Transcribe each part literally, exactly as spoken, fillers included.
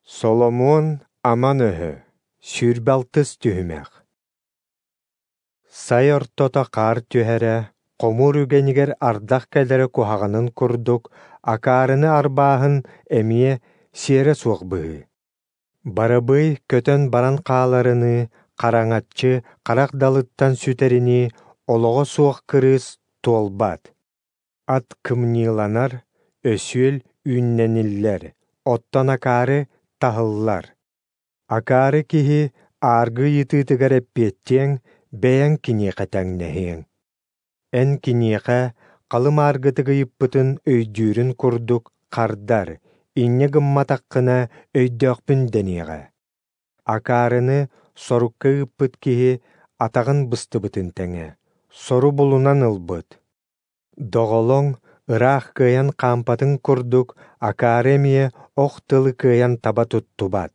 Соломуон аман өһө, сүүрбэ алтыс түһүмэх. Сай ортото хаар түһэрэ, хомуур үгэнигэр ардах кэлэрэ куһаҕанын курдук, акаарыны арбааһын эмиэ сиэрэ суох быһыы. Барабыай көтөн баран хааларыныы, хараҥаччы харах далыттан сүтэринии, олоҕо суох кырыыс туолбат. Ат кымньыыланар, өсүөл үүннэниллэр, оттон акаары таһыллар. Акаары киһи ааргы ыйытыытыгар эппиэттиэҥ, бэйэҥ киниэхэ тэҥнэһиэҥ. Эн киниэхэ халым ааргытык ыйыппытын өйдүүрүн курдук хардар, инньэ гымматаххына өйдөөхпүн дэниэҕэ. Акаарыны сорукка ыыппыт киһи атаҕын быстыбытын тэҥэ, сору булунан ылбыт. Доҕолоҥ ыраах кыайан хаампатын курдук, акаары эмиэ ох тылы кыайан таба туттубат.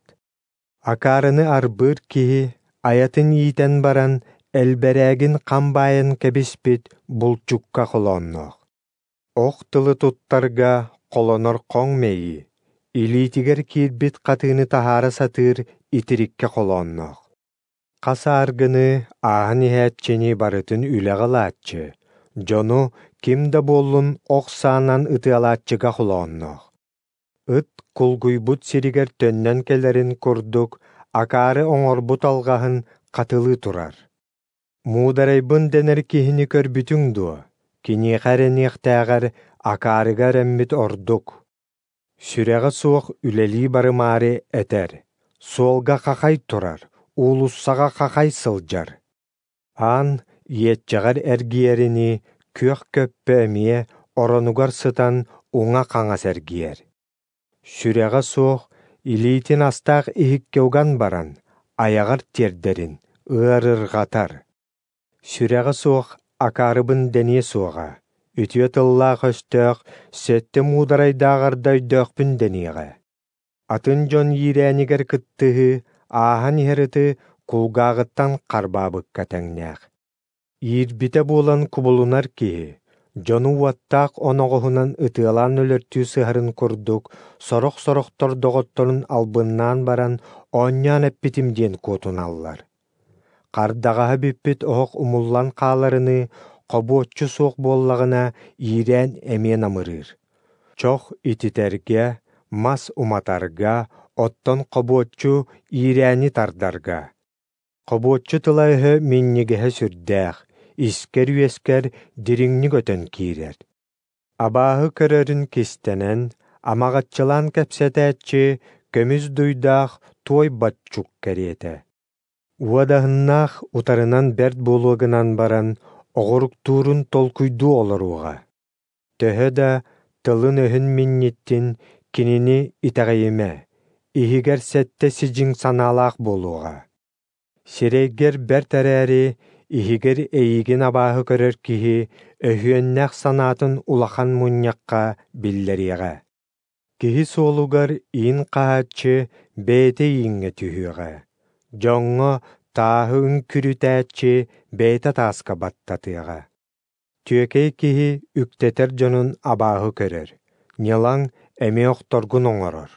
Акаарыны арбыыр киһи айатын иитэн баран, элбэрээгин хам баайан кэбиспит булчукка холоонноох. Ох тылы туттарга холонор хоҥ мэйии, илиитигэр киирбит хатыыны таһаара сатыыр итириккэ холоонноох. Хас ааргыны ааһан иһээччини барытын үлэҕэ ылааччы, дьону ким да буоллун ох саанан ытыалааччыга холоонноох. Ыт кулгуйбут сиригэр төннөн кэлэрин курдук, акаары оҥорбут алҕаһын хатылыы турар. Муударайбын дэнэр киһини көрбүтүҥ дуо? Киниэхэ эрэниэхтээҕэр акаарыга эрэммит ордук. Сүрэҕэ суох үлэлии барымаары этэр, суолга хахай турар, уулуссаҕа хахай сылдьар. Аан иэччэҕэр эргийэринии күөх көппө эмиэ оронугар сытан уҥа-хаҥас эргийэр. Сүрэҕэ суох илиитин астаах иһиккэ уган баран, айаҕар тиэрдэрин ыарырҕатар. Сүрэҕэ суох акаарыбын дэниэ суоҕа, үтүө тыллаах өстөөх сэттэ муударайдааҕар да өйдөөхпүн дэниэҕэ. Атын дьон иирээнигэр кыттыһыы, ааһан иһэр ыты кулгааҕыттан харбаабыкка тэҥнээх. Иирбитэ буолан кубулунар киһи, дьону уоттаах оноҕоһунан ытыалаан өлөртүү сыһарын курдук, сорох-сорохтор доҕотторун албыннаан баран оонньоон эппитим диэн куотуналлар. Хардаҕаһа бүппүт оһох умуллан хааларыныы, хобуоччу суох буоллаҕына иирээн эмиэ намырыыр. Чох ититэргэ, мас уматарга, оттон хобуоччу иирээни тардарга. Хобуоччу тыла-өһө минньигэһэ сүрдээх, искэр-үөскэр дириҥник өтөн киирэр. Абааһы көрөрүн кистэнэн, амаҕаччылаан кэпсэтээччи көмүс дуйдаах туой баччук кэриэтэ. Уодаһыннаах утарынан бэрт буолуо гынан баран, оҕуруктуурун толкуйдуу олоруоҕа. Төһө да тылын-өһүн минньиттин, кинини итэҕэйимэ, иһигэр сэттэ сидьиҥ санаалаах буолуоҕа. Сирэйгэр бэрт эрээри, иһигэр эйигин абааһы көрөр киһи өһүөннээх санаатын улахан мунньахха биллэриэҕэ. Киһи суолугар иин хаһааччы бэйэтэ ииҥҥэ түһүөҕэ, дьоҥҥо тааһы үҥкүрүтээччи бэйэтэ тааска баттатыаҕа. Түөкэй киһи үктэтэр дьонун абааһы көрөр, ньылаҥ эмиэ охторгун оҥорор.